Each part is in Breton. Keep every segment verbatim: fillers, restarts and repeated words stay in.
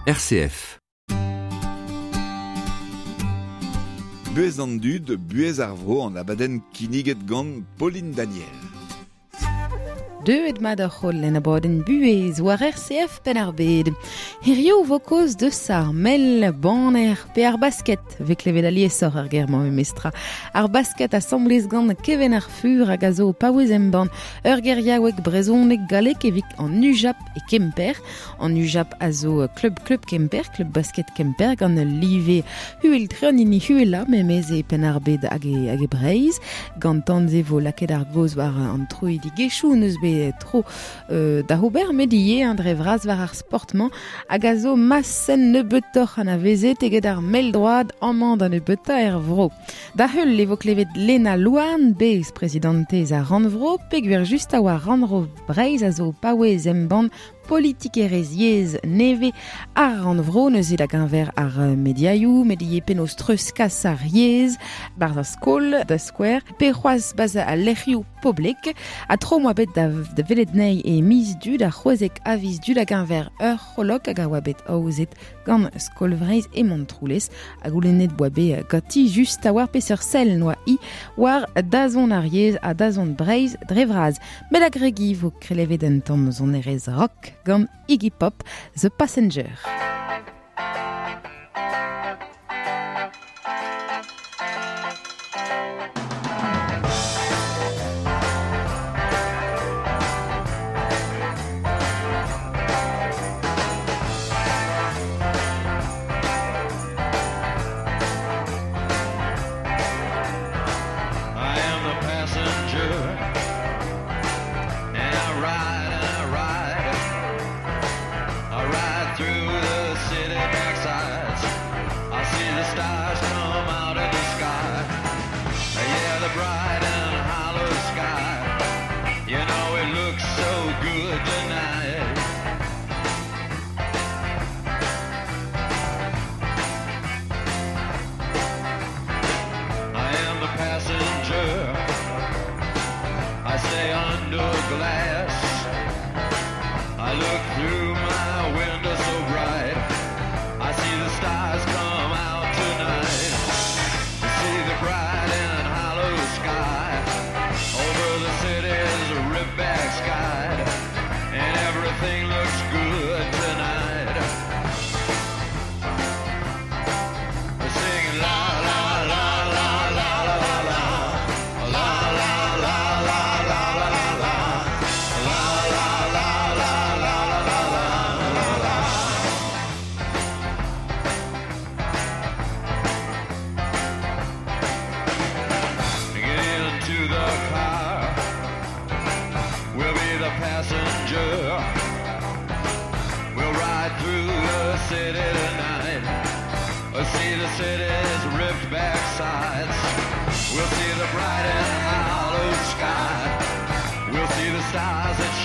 R C F. Buez an dud, buez ar vro an abadenn kinniget gant Pauline Daniel. Deuet mat ar c'holl en abadenn buez war R C F pen ar bed. Hirio vo koz deus ar mel, banner pe ar basket, ve klevet aliesoc'h ar ger-mañ memestra. Ar basket asamblez gant Keven ar Fur hag a zo paouez embann ur geriaoueg brezhoneg gallek evit an U J A P e Kemper. An U J A P a zo klub klub Kemper, klub basket Kemper gant ul live huel tre an hini huela memez e pen ar bed hag e, hag e Breizh. Gant tanze vo lakaet ar goz war an troidigezhioù neus bet tro euh, da ober met ivez an dre vras war ar sportmañ hag a zo masen nebeutoc'h an avezet eget ar mell-droad amañ da nebeutañ er vro. Da heul e vo klevet Lena Louarn, bez prezidantez ar Rannvro, peogwir just a oa Rannvro Breizh a zo paouez embann politikerezh yezh nevez ar Rannvro neuze da geñver ar mediaioù, met ivez penaos treuzkas ar yezh, barzh ar skol, da skouer, pe c'hoazh barzh al lec'hioù poblek, ha tro moa bet da, da welet anezhi e miz du da c'hwezek a viz du da geñver ur c'holok hag a oa bet aozet gant Skol Vreizh e Montroulez, hag goulennet boa bet ganti just a war peseurt sell noa i war dazont ar yezh ha dazont Breizh dre vras. Met a gregi vo krelevet un tamm sonerezh rock gant Iggy Pop, The Passenger.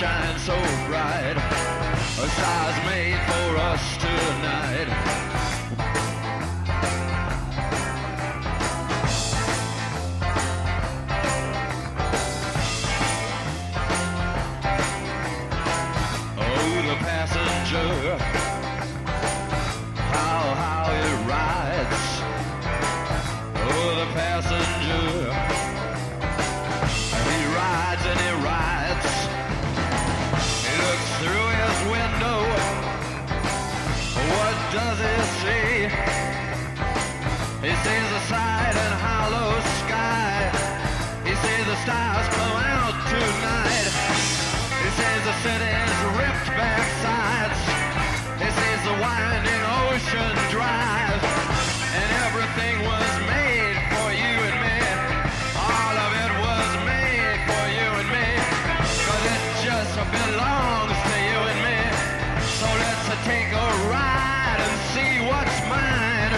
Shine so bright, a stars made for us tonight. Oh, the passenger, how, how he rides. Oh, the passenger, he rides and he rides. Through his window, what does he see? He sees a side and hollow sky. He sees the stars come out tonight. He sees the city's ripped back sides. He sees the winding ocean drive. And everything was made for you and me. All of it was made for you and me. 'Cause it just belongs to you and me. So let's take a ride and see what's mine.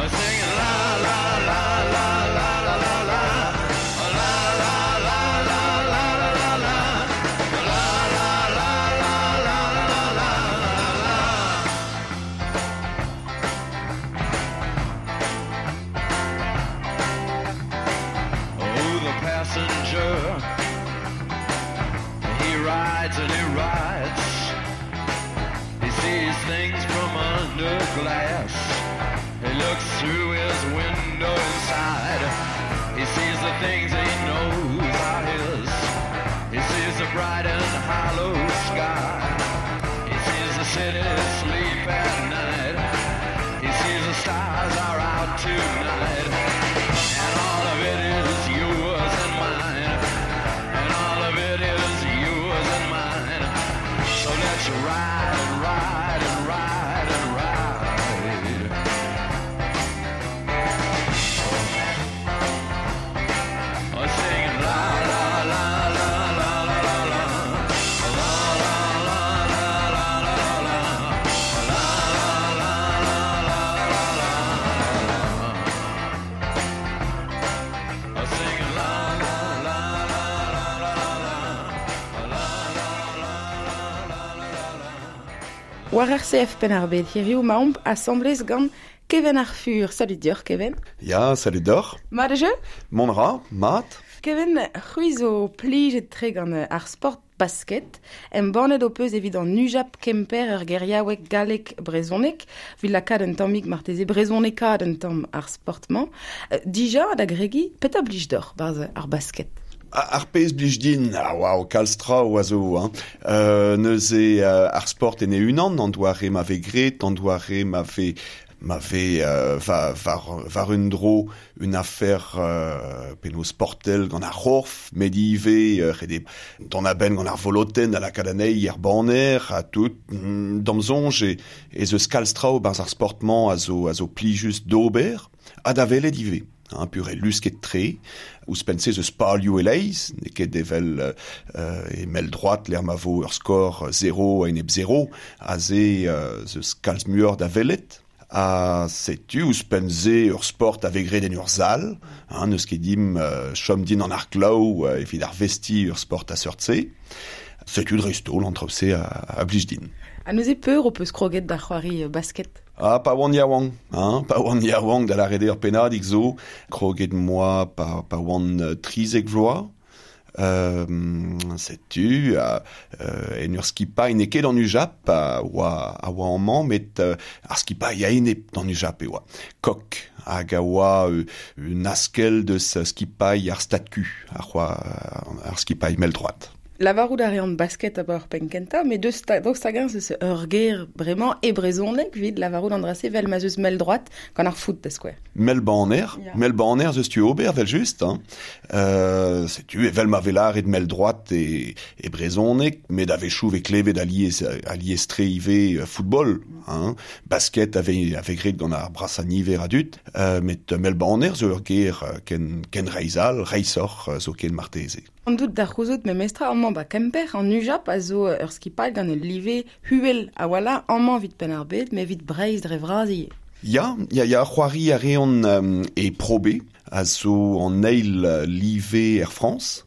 Singing la la la la la la la la. rides and he rides. He sees things from under glass. He looks through his window inside. He sees the things he knows are his. He sees the bright and hollow sky. He sees the city sleep at night. He sees the stars are out tonight. And all of it is yours and mine. And all of it is yours and mine. So let's ride and ride and ride and ride. Oh, singing la la la la la la la la. La la la la la la la. La la la la la la la. Oh, singing la la la la la la la. La la la la la la la. War R C F Penn-ar-Bed, hiriv maomp asamblez gant Kevin ar Fur. Salut dioc'h, Kevin. Ya, salut deoc'h. Mat eo? Mont ra, mat. Kevin, c'hwi zo plijet tre gant ar sport basket. Embannet ho peus evit an Ujap Kemper ur geriaoueg gallek brezhonek, evit lakaat un tammig marteze brezhonekaat un tamm ar sport-mañ. Euh, dija da gregi, petra blij deoc'h barzh ar basket? Ar pezh blij din, ah, waouh, kalz traoù a zo, hein. Euh, neuze euh, ar sport en e unan, an doare ma vez graet, an doare ma vez ma vez euh, va, var, var un dro une affaire euh, penaos sportel gant ar c'horf, met ivez euh, rede d'an aben gant ar volotenn a lakaat anezhi er banner, ha tout, mm, d'am soñj e, ez eus kalz traoù barzh ar sport-mañ a zo, a zo plijus d'ober, ha da welet ivez. Hein, pur e lusket tre, ouzhpenn se eus palioù e-leizh, n'eo ket evel euh, e mell droat lec'h ma vo ur skor zero a enep zero, aze euh, zeus kalz muioc'h da welet. Ha setu ouzhpenn se ur sport a vez graet en ur sal, hein, n'eus ket dimp euh, chom din an ar glav euh, evit ar vesti ur sport a seurt-se. Setu dreist-holl an traoù-se a, a blij din. Ha neuze peur ho peus kroget da c'hoari basket? Ah, pa oan yaouank, hein, pa oan yaouank da lâret eo ur pennadig zo, kroget moa pa, pa oan trizek vloaz. Euh, setu, euh, en ur skipailh n'eo ket an Ujap a oa, a oa amañ, met euh, ar skipailh a enep d'an Ujap e oa. Kok, hag a oa euh, un askel deus skipailh ar stad Q, ar oa ar skipailh mell droat. Lavarout a reont basket a ur penn kentañ, met deus ta, daoust hag-eñ zeus ur ger bremañ e brezhoneg evit lavarout an dra-se vel ma zeus mell droat gant ar foot da skouer. Mell banner, Ya. mell banner zeus tu ober vel just, hein. Euh, setu evel ma vez lâret mell droat e, e brezhoneg, met a-wechoù vez klevet alies, alies tre ivez football, hein. Basket a vez, a vez graet gant ar brasañ niver a dud, euh, met mell banner zo ur ger ken, ken reizh all, reizhoc'h zo ken marteze. An dout da c'houzout memestra amañ ba Kemper, an Ujap a zo ur skipailh gant ul live huel a wala amañ evit Penn-ar-Bed, met evit Breizh dre vras ivez. Ya, ya, ya, c'hoari a reont euh, e Pro B, a zo an eil live er Frañs.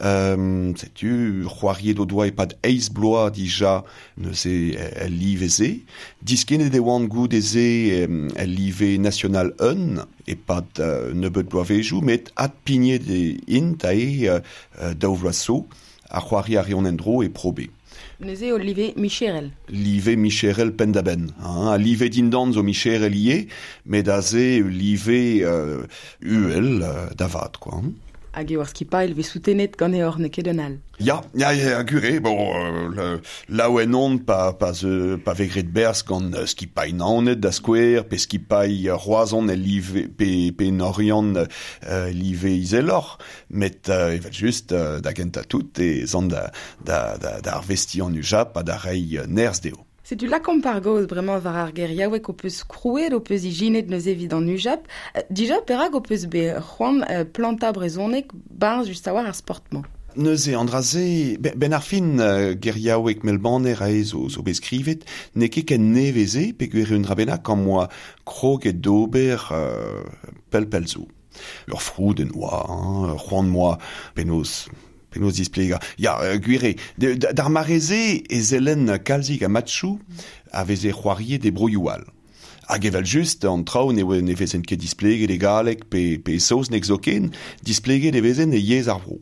Euh, setu, c'hoariet o doa e-pad eizh bloaz dija neuze el live-se. Diskennet e oant goude-se el live national un e-pad euh, nebeut bloavezhioù, met adpignet e int ae euh, daou vloaz zo, a c'hoari a reont en-dro e Pro B. Neuze o live micherel. Live micherel penn-da-benn. Hein. A live dindan zo micherel ivez, met aze live euh, uhel euh, da vat, quoi. Hein. Hag eo ar skipailh vez soutenet ganeoc'h n'eo ket un all. Ya, ya, ya, gure, bon, euh, le, laouen on pa, pa, ze, pa vez graet berzh gant euh, skipailh Naoned da skouer, pe skipailh Roazhon el live, pe, pe Oriant euh, live izeloc'h, met euh, evel just euh, da gentañ tout e zan da, da, da, da arvestiñ an Ujap ha da reiñ nerzh dezho. Setu lakaomp ar gaoz bremañ war ar geriaoueg ho peus krouet, ho peus ijinet neuze evit an Ujap. Dija, perak ho peus bet c'hoant euh, plantañ brezhoneg barzh just a-walc'h ar sport-mañ? Neuze, an dra-se, ben ar fin euh, geriaoueg mell-banner aze zo, zo bet skrivet, n'eo ket ken nevez-se, peogwir un dra bennak am boa kroget d'ober euh, pell pell zo. Ur froudenn oa, hein, c'hoant moa penaos penaos displegañ. Ya, euh, gwir eo, d'ar mare-se e sellen kalzik a matchoù a veze c'hoariet e broioù all. Hag evel just, an traoù ne, ne vezent ket displeget e galleg pe, pe e saozneg zoken, displeget e vezent e yezh ar vro.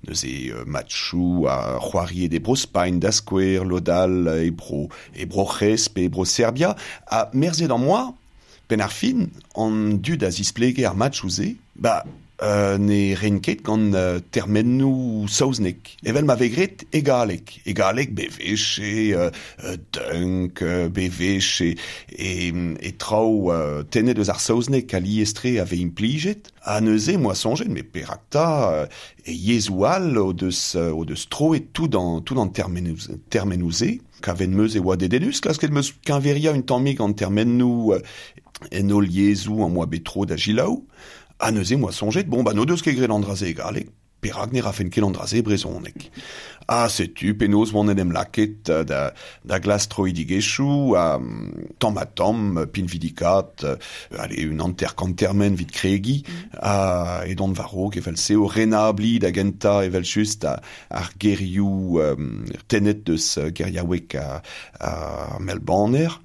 Neuze euh, matchou a c'hoariet e bro Spain da skouer, lodal e bro, e bro C'hes pe e bro Serbia, a merzet an moa, pen ar fin, an dud a zisplege ar matchou ze, ba, euh, ne ren ket gant euh, termennou saoznek. Evel ma vegret e galek. E galek bevech e euh, dunk, bevech e, e, e traoù euh, tennet eus ar saoznek a liestre ave implijet. A neuze, moa sonjet, me perakta euh, e yezou all o deus, o deus troet tout an, tout an termenouze, termenouze. Kaven meus e oa dedenus, klasket meus kinveria un tammig an termennou euh, en ol yezou an moa betro da gilaou. A neuze moa sonjet, bon, ba no deus ket graet an dra-se e galleg, perak ne rafen ket an dra-se e brezhoneg. A setu, penaos oan en em laket da, da glas troidigezhioù, a tamm ha tamm, pinvidikat, allez, un hanter kant termen vit kregi, mm. a edon war-raok evel-se o renabli da genta evel just a, ar gerioù um, tennet deus geriaoueg a, a Melbaner,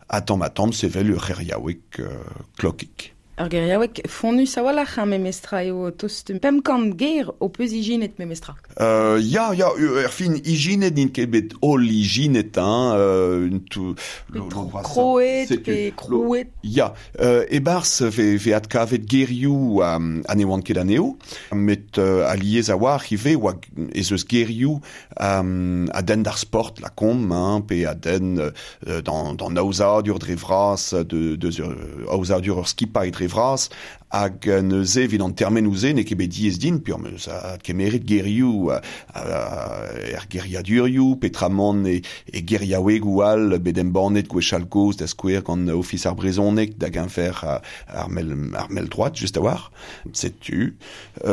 a tamm ha tamm sevel ur c'heriaoueg uh, klokik. Ur geriaoueg fonnus a-walc'h ar memestra eo tost pemp kant ger o peus ijinet memestra. Euh, ya, ya, ur fin ijinet n'int ket bet holl ijinet, hein, euh, tout, pe kroet, pe krouet. Ya, euh, e-barzh ve, ve adkavet gerioù um, a ne oant ket anezho, met euh, alies a oar ivez oa ez eus gerioù um, a denn d'ar sport la kom, hein, pe a denn euh, d'an, d'an aozadur dre vras, de, de, de aozadur ur skipailh dre vras, hag neuze evit an termenou-se n'eo ket bet diaes din, pur meus a kemeret gerioù er geriadurioù, petramant e, e geriaouegoù all bet embannet gwechall gozh da skouer gant Ofis ar brezhoneg da geñver ar mell, ar mell droad, just a-walc'h. Setu.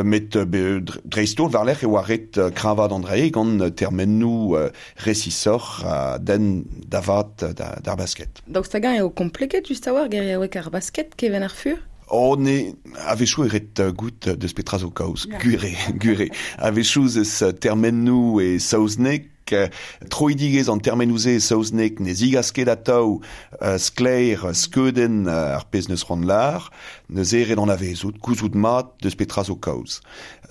Met dreist-holl war-lerc'h e oa ret kreñvaat an dra-se gant termenou resisoc'h a den davat d'ar basket. Daoust hag-eñ eo kompleket just a-walc'h geriaoueg ar basket keven ar fur? Oh, ne, a-wechoù e ret goût deus petra zo kaoz, gure, gure. A-wechoù eus termennoù e saozneg, troidigezh an termennoù-se e saozneg ne zigas ket atav uh, sklaer skeudenn uh, ar pezh neus c'hoant lar, neuze ret anavezout, gouzout mat deus petra zo kaoz.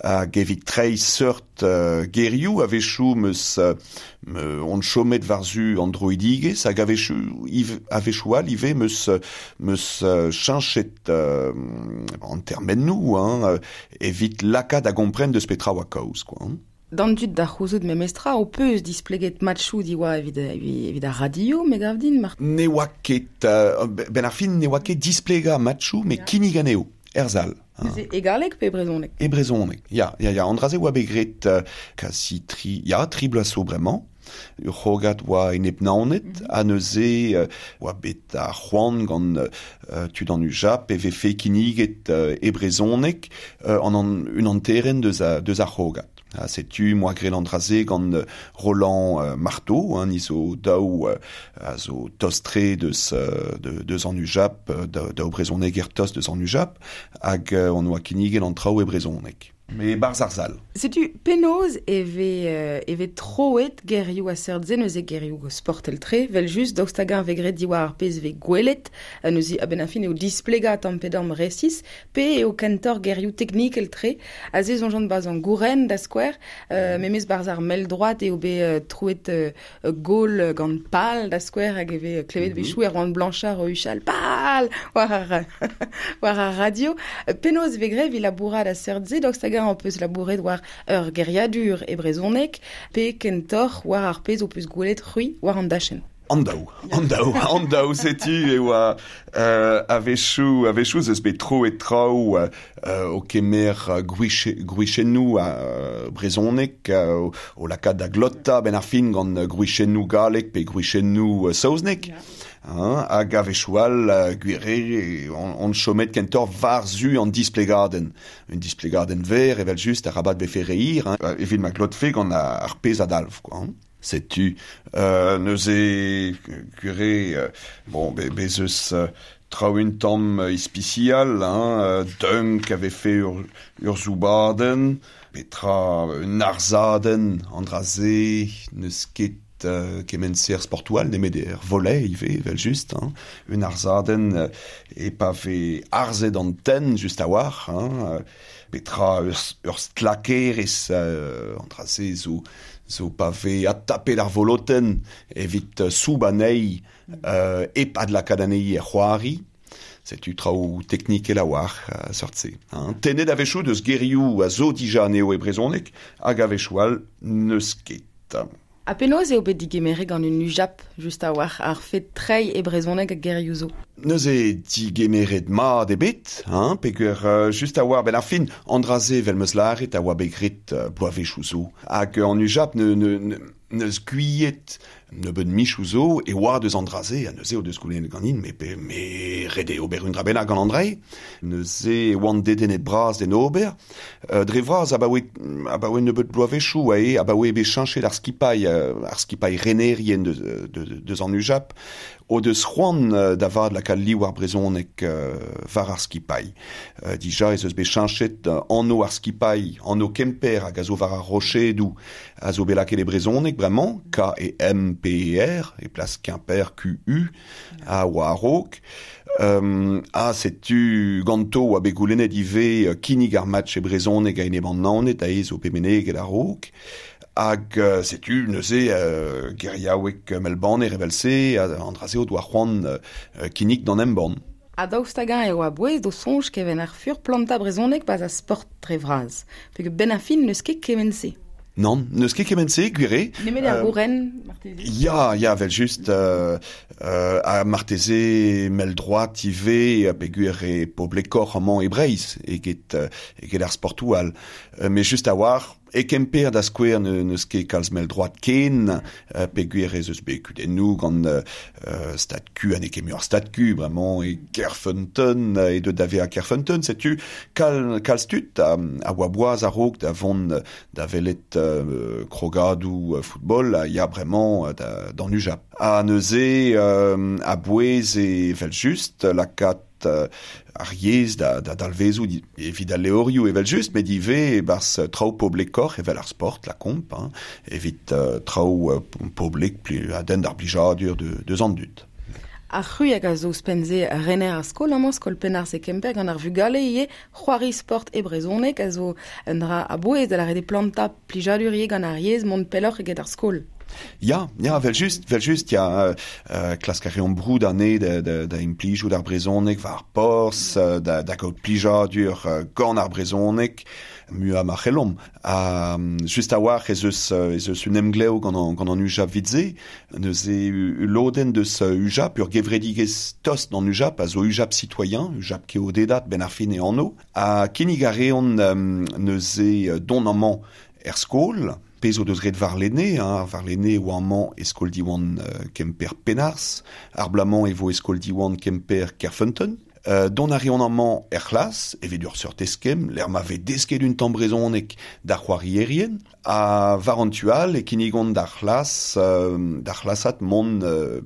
Hag evit treiñ seurt uh, gerioù a-wechoù meus uh, on chomet war-zu an droidigezh hag a-wechoù a-wechoù all ivez meus meus uh, cheñchet uh, an termennoù, hein, evit lakaat da gompren deus petra oa kaoz, quoi, hein. D'an dud da c'houzout memestra, o peus displeget matchou diwa evit, evit ar radio, me gav din, mar... Ne oa ket, uh, ben ar fin, ne oa ket displega matchou, me kinnig anezho, er zal. Neuze e galleg pe e brezhoneg? E brezhoneg, ya, ya, ya. An dra-se oa bet graet uh, kasi tri, ya, tri bloaz zo bremañ. Ur c'hrogad oa enep Naoned, mm -hmm. ha neuze uh, oa bet ar c'hoant gant uh, tud an U J A P e vefe kinniget uh, e brezhoneg uh, an, an un hanterenn deus, a, deus ar c'hrogad. Ha setu moa graet an dra-se gant Roland uh, Marteau, hein, ni zo daou uh, a zo tost-tre deus, uh, de, deus an U J A P, da, daou brezhoneger tost deus an U J A P, hag uh, on oa kinniget an traoù e brezhoneg. Me barz ar zal. Setu penaos e ve, e ve troet gerioù a seurt se neuze gerioù sportel tre, vel just daoust hag-eñ ve graet diwar ar pezh ve gwelet, neuze a-benn ar fin eo displegañ tamm pe damm resis, pe eo kentoc'h gerioù teknikel tre, a se soñjont barzh an gouren da skouer, euh, memes barzh ar mell droad eo bet euh, troet euh, gol gant pal da skouer hag e ve klevet mm -hmm. wechoù Erwan Blanchard o huchal pal war ar, war ar radio. Penaos ve graet evit labourat a seurt se, daoust hag-eñ an peus labouret war ur geriadur e brezhoneg, pe kentoc'h war ar pezh o peus gwelet c'hwi war an dachenn. An daou, an daou, an daou, setu e oa euh, a-wechoù, a-wechoù eus bet troet traoù euh, o kemer gwrichennoù uh, brezhoneg, uh, o lakaat da glotta ben ar fin gant gwrichennoù galleg pe gwrichennoù uh, saozneg. Yeah. Hein, hag a-wechoù all uh, gwire on, on chomet kentoc'h war-zu an displegadenn. Un displegadenn ver evel just arabat befe reir, hein, evit ma glotfe gant ar pezh a-dalv, quoi, hein. Setu euh, neuze gwire euh, bon, be, bez eus euh, traoù un tamm ispisial, hein, euh, dunk avait fait ur, ur zoubadenn, petra un arzadenn, an dra-se neus ket uh, kement-se ar sportoù all, nemet er volley ivez, evel just, hein. Un arzadenn uh, e pa ve arzet an tenn just a-walc'h, hein, uh, petra ur, ur stlakerez uh, an dra-se zo, zo pa ve adtapet ar volotenn evit uh, soub anezhi uh, hep adlakaat anezhi er c'hoari. Setu traoù teknikel a-walc'h uh, seurt-se. Hein. Tennet a-wechoù deus gerioù a zo dija anezho e brezhoneg hag a-wechoù all n'eus ket. Ha penaos eo bet digemeret gant un UJAP, just a-walc'h, ar fet treiñ e brezhoneg hag gerioù zo? Neuze digemeret mat ebet, hein, peogwir uh, just a-walc'h ben ar fin, an dra-se evel m'eus lâret a oa bet graet uh, bloavezhioù zo. Hag an UJAP ne, ne, ne, neus gouiet nebeud michoù zo e oa deus an dra-se, ha neuze o deus goulennet ganin, me, pe, me ret eo ober un dra bennak gant an dra-se. Neuze e oan dedennet bras d'en ober. Euh, dre vras abaoe, abaoe nebeud bloavezhioù ae, abaoe bet cheñchet ar skipailh, ar skipailh renerien deus, de, deus an UJAP, o deus c'hoant da vat lakaat liv ar brezhoneg uh, war ar skipailh. Uh, dija ez eus bet cheñchet uh, anv ar skipailh, anv Kemper hag a zo war ar rochedoù a zo bet lakaet e brezhoneg bremañ, K E M P E R, e plas Quimper Q U, a oa a-raok. Um, ha setu ganto oa bet goulennet ivez kinnig ar match e brezhoneg a-enep an Naoned a ez o bet meneget a-raok. Hag uh, setu neuze uh, geriaoueg Melbanner evel-se, an dra-se o doa c'hoant uh, kinnig d'an embann. Ha daoust hag-eñ e oa bouez d'o soñj keven ar fur planta brezhoneg pas a sport dre vras. Peogwir ben ar fin n'eus ket kement-se. Non, n'eus ket kement-se, gwir eo. Nemet ar gouren, marteze. Ya, ya, vel just, euh, euh, ha marteze mell-droad ivez, peogwir e poblekoc'h amañ e Breizh, eget, eget ar sportoù all. Euh, met just a-walc'h, e Kemper da skouer ne, n'eus ket kalz mell-droad ken, euh, peogwir ez eus bet kudennoù gant euh, Stad Q, ha n'eo ket muioc'h Stad Q, bremañ, e Kerfeunteun, e deut da vezañ Kerfeunteun, setu kal, kalz tud a, a oa boaz a-raok da vont da welet euh, krogadoù football a ya bremañ da, d'an UJAP. Ha neuze euh, a bouez e evel just lakaat euh, ar yezh da, da dalvezoù evit al levrioù evel just, met ivez e-barzh traoù poblekoc'h evel ar sport, la komp, hein, evit uh, traoù uh, poblek pli, a denn d'ar blijadur de, deus an dud. Ar c'hwi hag a zo ouzhpenn-se rener ar skol amañ, skol Penharz e Kemper, gant ar vugale ivez c'hoari sport e brezhoneg a zo un dra a-bouez da lâret eo plantañ plijadur ivez gant ar yezh mont pelloc'h eget ar skol. Ya, ya, vel just, vel just, ya, euh, klask a reomp broud anezhe da, da, da implijout ar brezhoneg war ar porzh, da, da gaout plijadur gant ar brezhoneg, muiañ ma c'hellomp. Ha just a-walc'h ez eus, ez eus un emglev gant an, gant an UJAP evit-se, neuze ul lodenn deus UJAP, ur gevredigezh tost d'an UJAP, a zo UJAP citoyen, UJAP keodedat ben ar fin e anv, ha kinnig a reont neuze dont amañ er skol, pezh o deus ret warlene, hein, warlene oa amañ e skol Diwan uh, Kemper Penharz, ar bloaz-mañ e vo e skol Diwan Kemper Kerfeunteun. Euh, dont a reont amañ er c'hlas, evit ur seurt eskemm, lec'h ma vez desket un tamm brezhoneg d'ar c'hoarierien, ha war an tu all e kinnigont d'ar c'hlas, euh, d'ar c'hlasad mont euh,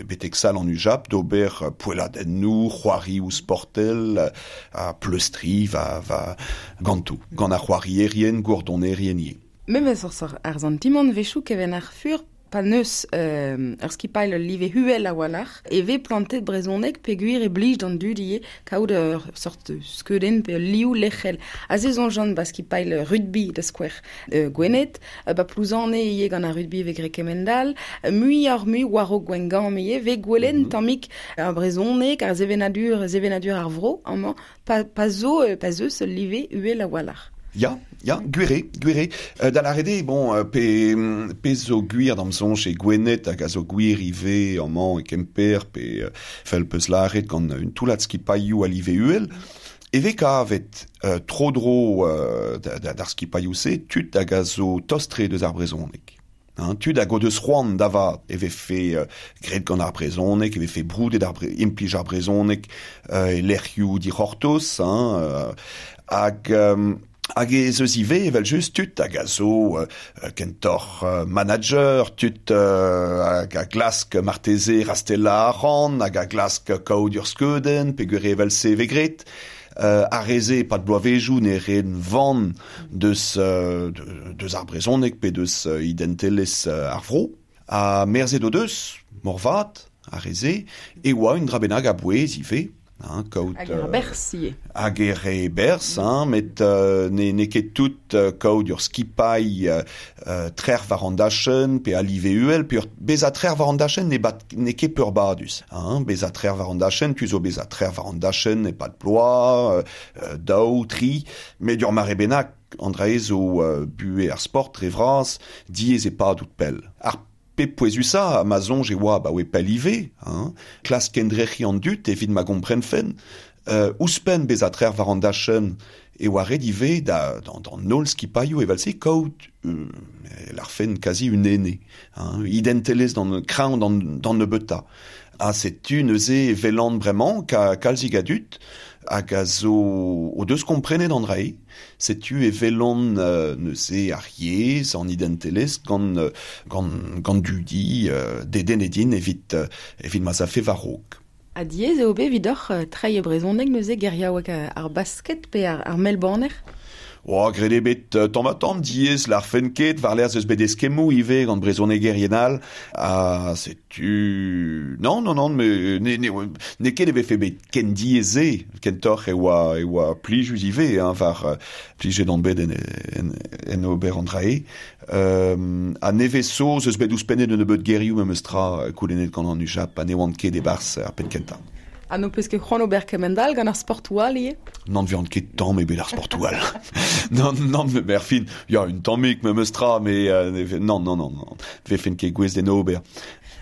betek sal an UJAP d'ober poelladennoù, c'hoarioù sportel, ha pleustriñ va, va ganto, gant ar c'hoarierien, gourdonerien ivez. Memes ur ar santimant wechoù keven ar fur pa neus euh, ur skipailh live huel a-walc'h e vez plantet brezhoneg peogwir e blij d'an dud ivez kaout ur sort skeudenn pe ul liv lec'hel. Aze soñjan ba skipailh rugby da skouer euh, Gwened, ba Plouzane ivez gant ar rugby vez graet kemend-all, muioc'h mui war-raok Gwengamp ivez vez gwelet mm -hmm. tammig ar brezhoneg, ar sevenadur, sevenadur ar vro amañ, pa, pa zo, pa zeus ul live uhel a-walc'h. Ya, ya, gwir eo, gwir eo. Euh, da lâret eo, bon, pe, pe zo gwir d'am soñj e Gwened hag a zo gwir ivez amañ e Kemper, pe euh, fel peus lâret gant un toullad skipailhoù a live uhel, e vez kavet euh, tro-dro euh, d'ar skipailhoù-se tud hag a zo tost-tre deus ar brezhoneg. Hein, tud hag o deus c'hoant da vat e vefe euh, graet gant ar brezhoneg, e vefe broudet ar bre, implij ar brezhoneg euh, e lec'hioù dic'hortoz, hein, euh, hag euh, hag ez eus ivez evel just tud hag a zo euh, kentoc'h euh, manager, tud euh, hag a glask marteze rastellañ arc'hant, hag a glask kaout ur skeudenn, peogwir evel-se vez graet. Euh, ar re-se pad bloavezhioù ne reent van deus, euh, deus ar brezhoneg pe deus euh, identelezh euh, ar vro. A merzet o deus, morvat, a reze, e oa un dra bennak a bouez ive, hein, kaout... Hag ar berz ivez. Hag er re berz, hein, met euh, ne, ne ket tout euh, kaout ur skipailh euh, trer war an dachenn, pe a live uhel, pe ur beza trer war an dachenn ne, bat, ne ket peurbadus. Hein, beza trer war an dachenn, tu zo beza trer war an dachenn, e pad ploa, euh, daou, tri, met ur mare bennak, an dra zo euh, bue ar sport re vras, diez e pad out pell. Ar pe pouezusa, ma zonj e oa ba oe pell ive, hein, klas kendrec'hi an dut evit ma gomprenfen, euh, ouzhpenn beza trer war an dachenn e oa ret ive da, dans, dans nol skipailhoù evel-se kaout euh, l'arfen quasi un ene, hein, identelez d'an kraoñ d'an, d'an nebeuta. Ha setu neuze velan bremañ ka kalzig a dut, hag a zo o deus komprenet an drae, setu e velon euh, neuze ar yezh an identelez gant, gant, gant dudi euh, deden edin evit, euh, evit ma zafe war-raok. Ha diaes eo bet evidoc'h euh, treiñ e brezhoneg neuze geriaoueg ar basket pe ar, ar mell-banner? Oh, graet eo bet euh, tamm ha tamm diaes l'arfen ket, war lerc'h eus bet eskemmoù ivez gant brezhonegerien all, ha setu... Non, non, non, me, ne, ne, ne ket e vefe bet ken diaes se, kentoc'h e oa, e oa plijus ivez, hein, war euh, plijet an bet en, en, en ober an drae. Euh, ha nevez zo eus bet ouzhpennet un nebeud gerioù memes tra koulennet gant an UJAP, ha ne oant ket e-barzh ar penn kentañ. Ha n'ho peus ket c'hoant ober kemend-all gant ar sportoù all ivez? N'an vihan ket tamm ebet ar sportoù all. Non, non, mais erfin, ya, un tammig memes tra, mais euh, non, non, non, non, vefen ket gouez d'en ober.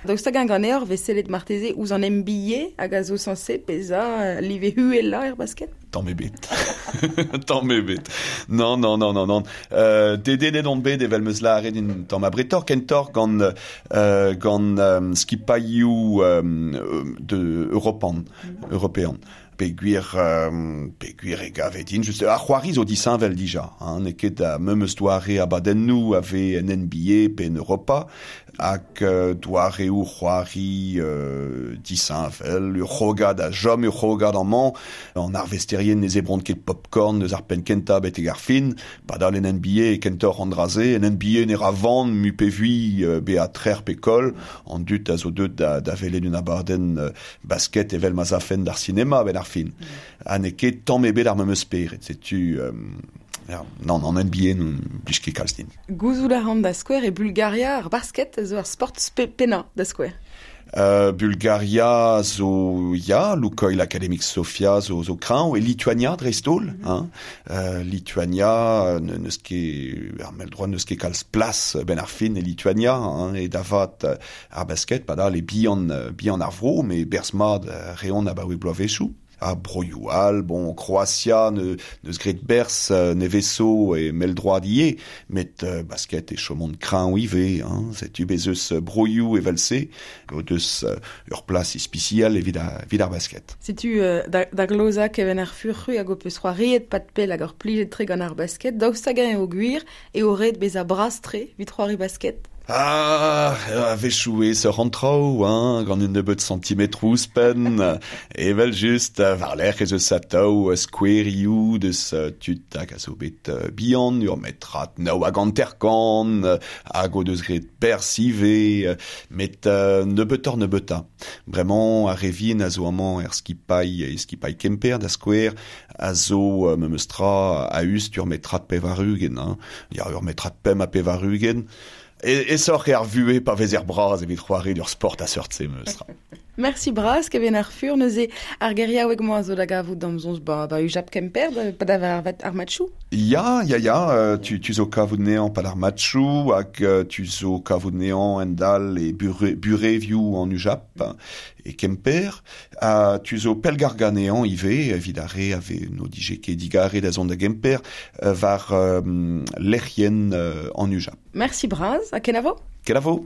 Daoust hag ganeoc'h vez sellet marteze ouzh an N B A hag a zo sañset bezañ live uhelañ er basket? Tamm ebet. Tamm ebet. Non, non, non, non, non. Euh, dedennet on bet evel meus lâret un tamm abretoc'h, kentoc'h gant, euh, gant euh, skipailhoù euh, de europan, european. Peogwir, euh, peogwir e gavet din, just, ar c'hoari zo disheñvel dija, hein, n'eo ket a memes doare abadennoù a vez en N B A pe en Europa, hag euh, doareoù c'hoari euh, disheñvel, ur c'hrogad a chom ur c'hrogad amañ, an arvesterien ne zebront ket popcorn eus ar penn kentañ betek ar fin, padal en N B A e kentoc'h an dra-se, en N B A ne ra van mu pe vui euh, bezañ trec'h pe koll, an dud a zo deut da, da welet un abadenn euh, basket evel ma zafen d'ar sinema ben ar fin. Ha n'eo ket tamm ebet ar memes spered, setu... Euh, ja, non, an N B A n'on blij ket kalz din. Gouzout a ran da skouer e Bulgaria ar basket zo ar sport spe pennañ da skouer. Euh, Bulgaria zo ya, Lukoil Academic Sofia zo, zo kreñv, e Lituania dreist-holl, mm -hmm. hein. Euh, Lituania ne, neus ket, ar mell-droad neus ket kalz plas ben ar fin e Lituania, hein, e davat ar basket, padal e bihan, bihan ar vro, met berzh mat reont abaoe bloavezhioù. A broioù all, bon, Kroatia ne, neus graet berzh neveso e mell-droad ivez, met euh, basket e chomont kreñv ivez, hein, setu bez eus broioù evel-se, o deus euh, ur plas ispisial evit ar, evit ar basket. Setu euh, da, da glozañ Keven ar Fur hag ho peus c'hoariet pad pell hag ur plijet tre gant ar basket, daoust hag-eñ eo gwir eo ret bezañ bras-tre evit c'hoari basket? Ah, a-wechoù eo seurt an traoù, hein, gant un nebeud centimetroù ouzhpenn, evel just, war-lerc'h ez eus atav skouerioù deus tud hag a zo bet bihan, ur metrad nav hag hanter-kant, hag o deus graet berzh ivez, met nebeutoc'h nebeutañ. Bremañ, ar re vihan a zo amañ er skipailh, e skipailh Kemper da skouer, a zo memes tra a-us ur metrad pevar-ugent, hein. Ya, ur metrad pemp ha pevar-ugent. E, e soc'h ar vuhez pa vezer bras evit c'hoari d'ur sport a seurt-se memes tra. Merci bras, Keven ar Fur, neuze ar geriaoueg mañ a zo da gavout d'am zonz ba, ba UJAP Kemper, pa da ar, ar matchou? Ya, ya, ya, tu, tu zo kavout neañ pa d'ar matchou, hag tu zo kavout neañ en dal e bure, burevioù an UJAP e Kemper, ha tu zo pellgargañ neañ ivez, evit ar re a vez no dije ket digare da zont da Gemper, war euh, lec'hienn euh, an UJAP. Merci bras, ha kenavo? Kenavo!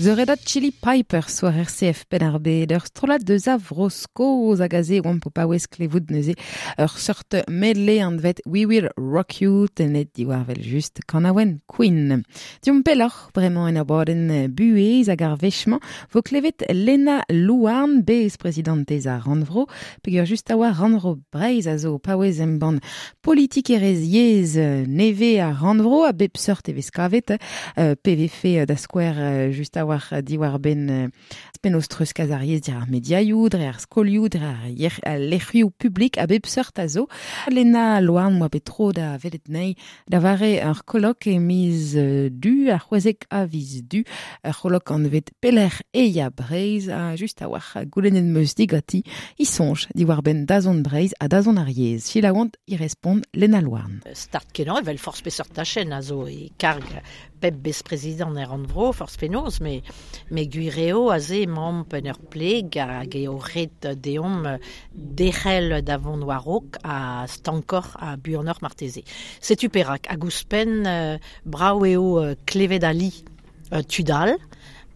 The Red Hot Chili Pipers war R C F Penn-ar-Bed, ur strollad deus a Vro-Skos hag aze oamp o paouez klevout neuze ur seurt medley anvet We Will Rock You tenet diwar vel just kanaouenn Queen. Diomp pelloc'h bremañ en abadenn buhez hag ar wech-mañ vo klevet Lena Louarn, bez prezidantez ar Rannvro, peogwir just a oa Rannvro Breizh a zo paouez embann politikerezh yezh nevez ar Rannvro a bep seurt e vez kavet, euh, P V F da skouer just a war diwar ben penaos treuzkas ar yezh dir ar mediaioù, dre ar skolioù, dre ar yer, ar lec'hioù publik a bep seurt a zo. Lena Louarn moa bet tro da welet nei da vare ur kolok e miz du, ar c'hwezek a viz du, ur kolok anvet Pelec'h e ya Breizh, a just a war goulennet meus digati, i soñj diwar ben dazont Breizh ha dazont ar yezh. Selaouant i respond Lena Louarn. Start kenañ evel forzh peseurt tachenn a zo e karg pep besprezidant er Rannvro, forzh penaos, me me gwir eo aze emaomp en ur pleg hag eo ret deomp derc'hel da vont war-raok ha stankoc'h ha buanoc'h marteze. Setu perak, hag ouzhpenn brav eo klevet ali tud all,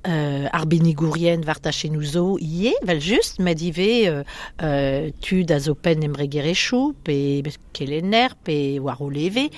Euh, arbennigourien war tachennoù zo ivez, vel just, met ivez euh, euh, tud a zo penn embregerezhioù, pe kelenner, pe war o leve.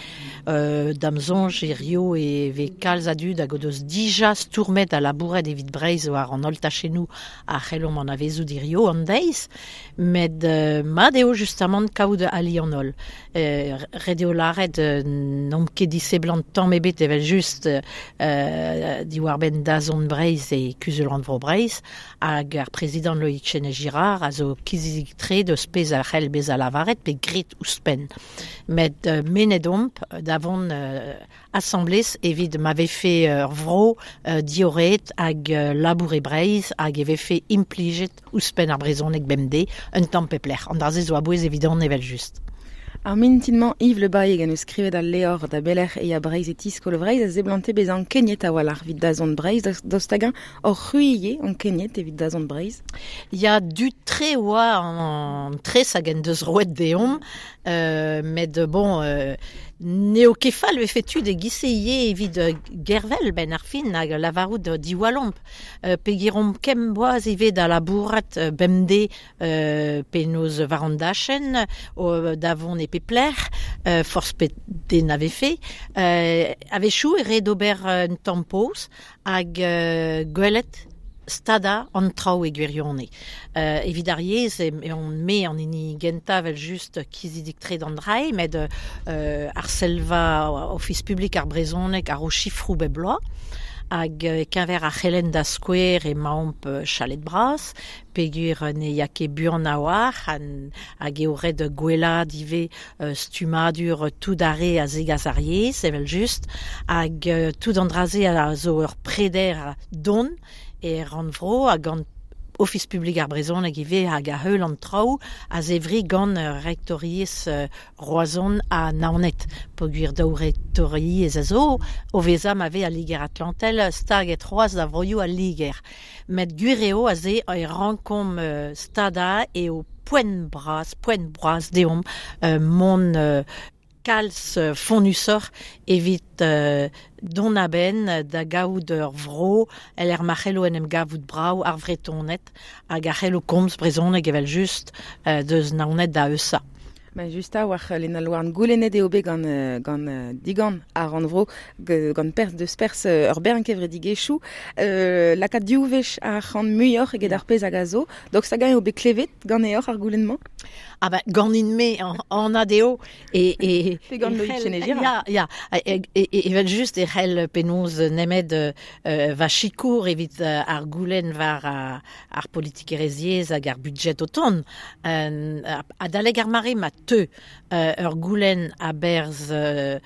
Euh, da'm soñj hirio e vez kalz a dud hag o deus dija stourmet ha labouret evit Breizh war an holl tachennoù a c'hellomp anavezout hirio an deiz, met euh, mat eo justamant kaout ali an holl. Euh, ret eo lâret euh, n'omp ket diseblant tamm ebet evel just euh, diwar-benn dazont Breizh e Kuzul Rannvro Breizh hag ar prezidant Loïc Chesnais-Girard a zo kizidik-tre deus pezh a c'hell bezañ lavaret pe grit ouzhpenn. Met euh, mennet omp da vont euh, asamblez evit ma vefe ur vro euh, dioret hag euh, labour e Breizh hag e vefe implijet ouzhpenn ar brezhoneg bemdez un tamm pep lec'h. An dra-se zo a-bouez evidon evel just. Ar mintinmañ Yves Le Bailly gant eus skrivet al levr da Belec'h e ya Breizh e tiskol Breizh a zeblante bezañ ankeniet a-walc'h evit dazont Breizh, daoust hag-eñ hor c'hwi ivez ankeniet evit dazont Breizh? Ya du tre oa an tres hag en deus roet deomp, euh, met bon, euh, n'eo ket fall vefe tud e gise ivez evit gervel ben ar fin hag lavarout diwalomp. Euh, pegiromp kem boaz ivez da labourat bemdez euh, penaos war an dachenn, o, da vont e pep lec'h, euh, forzh pet den a vefe. Euh, a-wechoù e ret ober un tamm poz hag euh, gwelet stada an traoù e gwirionez. Euh, evit ar yezh e, e on me an hini gentañ vel just kizidik-tre d'an drae, met euh, ar selva Ofis publik ar brezhoneg ar o chifroù bep bloaz, hag keñver ar c'helenn da skouer emaomp chalet bras, peogwir ne ya ket buan a-walc'h, hag eo ret gwellaat ivez stummadur tout ar re a zegas ar yezh, evel just, hag tout an dra-se a zo ur preder don e Rannvro hag gant Ofis publik ar brezhoneg ivez hag a heul an traoù a zevri gant rektoriezh Roazhon ha Naoned, peogwir daou rektoriezh a zo o vezañ ma vez al Liger-Atlantel staget c'hoazh da vroioù al Liger. Met gwir eo aze e rankomp stadañ eo poent bras, poent bras deomp euh, mont euh, kalz fonnusoc'h evit euh, dont a-benn da gaout ur vro el er ma c'hello en em gavout brav ar Vretoned hag ar c'hello komz brezhoneg evel just euh, deus Naoned da Eusa. Ma just a war Lena Louarn goulennet eo bet gant, gant digant ar Rannvro gant pers deus pers ur bern kevredigezhioù euh, lakaat div wech ar c'hant muioc'h eget ar pezh hag a zo. Donc hag-eñ eo bet klevet ganeoc'h ar goulenn-mañ? Ah ben ganin-me an, an adeo e e pe gant Loïc Chesnais-Girard. Ya ya e, e, e, evel just e c'hell penaos nemet euh, va sikour evit ar goulenn war ar, ar politikerezh yezh hag ar budget o tont. Euh, adalek ar mare ma teu euh, ur goulenn a-berzh euh,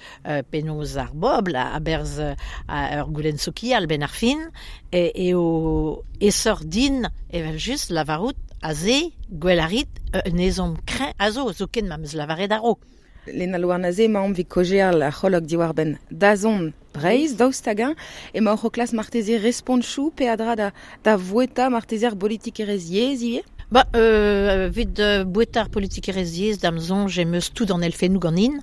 penaos ar bobl, a-berzh euh, ur goulenn sokial ben ar fin, e, eo esor din evel just lavarout aze gwell a rit un ezhomm kreñv a zo, zoken ma 'm eus lavaret a-raok. Lena Louarn aze emaomp evit kaozeal ar c'holok diwar-benn dazont Breizh, daoust hag-eñ emaoc'h o klask marteze respontchoù peadra da, da voueta marteze ar bolitikerezh yezh ivez? Ba, euh, vid euh, bouetar politikerez dam zonj em eus tout an elfennou ganin.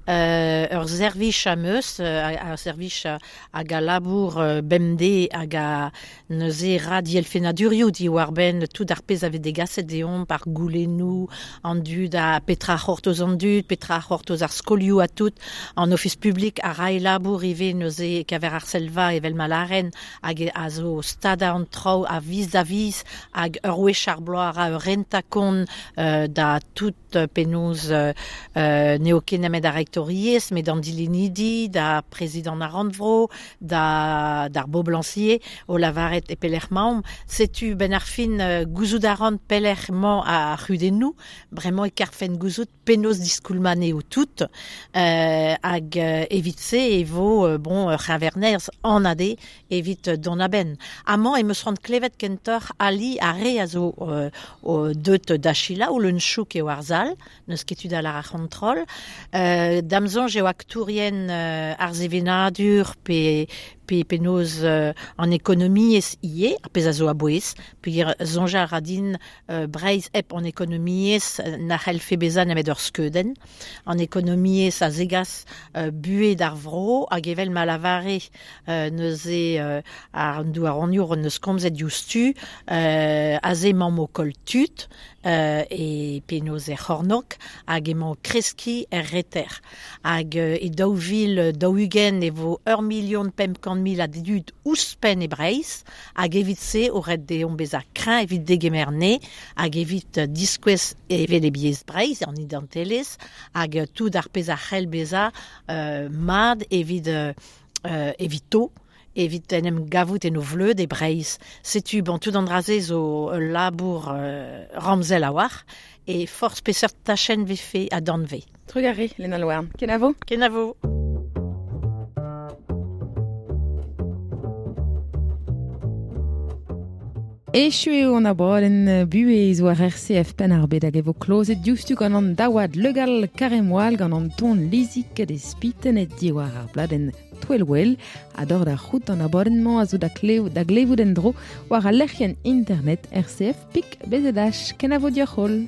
Euh, ur zervich am eus, euh, ur zervich hag a labour euh, bemde hag a neuze ra di elfenadurioù di war ben tout ar pez ave degaset deomp par goulennou an dud a petra c'hortoz an dud, petra c'hortoz ar skolioù a tout, an ofis publik a rai labour ive neuze kaver ar selva evel malaren hag a zo stada an traoù a viz da viz hag ur wech ar bloaz a ur renta kont euh, da tout penaos euh, euh, n'eo ket nemet ar rektoriez, met an dilenidi, da prezident ar rannvro, da d'ar boblancier, o lavaret e pelec'h maomp. Setu ben ar fin euh, gouzout a ran pelec'h mañ ar c'hudennoù, bremañ e karfen gouzout penaos diskoulmane o tout, euh, hag euh, evit se e vo euh, bon ur c'heñvernerz an ade evit don aben. Amañ em eus c'hoant klevet kentoc'h ali ar re a zo euh, o deut d'Achila ou leun chouk eo ar zal, neus ket tud al ar c'hontrol. Euh, dam soñj eo aktourien euh, ar sevenadur pe pe penaos euh, an ekonomiez ie, ar pezh a zo a-bouez, peogwir soñj a ra din euh, Breizh hep an ekonomiez na c'hellfe bezañ nemet ur skeudenn. An ekonomiez a zegas euh, buhe d'ar vro hag evel ma lavare euh, neuze euh, ar douaroniour neus komzet diouzhtu euh, aze mamm o koll tud euh, e penaos er c'hornok hag emañ kreski er reter. Hag euh, e daou vil daou-ugent e vo ur milion pemp kant mil a dud ouzhpenn e Breizh hag evit se o ret deomp bezañ kreñv evit degemer ne hag evit diskouez evel e biez Breizh an identelezh hag tout ar pezh a c'hell bezañ euh, mad evit euh, evito evit en em gavout en o vleud e Breizh. Setu bon tout an dra-se zo ul labour euh, ramzel a war e forzh peseurt tachenn vefe a danve. Trugarez, Lena Louarn. Kenavo? Kenavo. Echu eo an abadenn buhez war R C F Penn ar Bed hag e vo klozet diouzhtu gant an daouad Legal Karemoal gant an ton lizik de spitenet diwar ar bladenn Twelwell a dor da c'hout an abadenn-mañ a zo da klev da glevout en dro war al lec'hienn internet R C F pik B Z H. Kenavo dioc'h holl.